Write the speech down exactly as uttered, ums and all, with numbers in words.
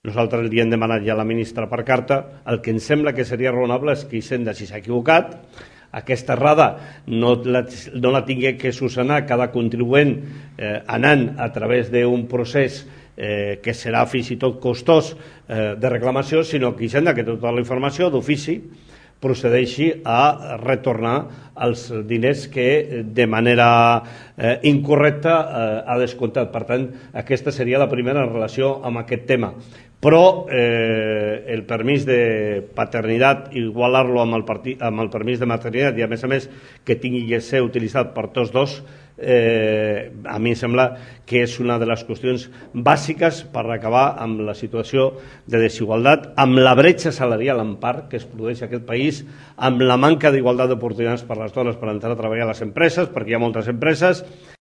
Nosaltres li hem demanat ja a la ministra per carta. El que ens sembla que seria raonable és que Hisenda, si s'ha equivocat, aquesta errada no la, no la tingui que solucionar cada contribuent eh, anant a través d'un procés eh, que serà fins i tot costós eh, de reclamació, sinó que Hisenda, que té tota la informació d'ofici, procedeixi a retornar els diners que de manera eh, incorrecta eh, ha descomptat. Per tant, aquesta seria la primera en relació amb aquest tema. Però eh, el permís de paternitat, igualar-lo amb, el amb el permís de maternitat i a més a més que tingui que ser utilitzat per tots dos, eh, a mi em sembla que és una de les qüestions bàsiques per acabar amb la situació de desigualtat, amb la bretxa salarial en part que es produeix a aquest país, amb la manca d'igualtat d'oportunitats per a les dones per entrar a treballar a les empreses, perquè hi ha moltes empreses,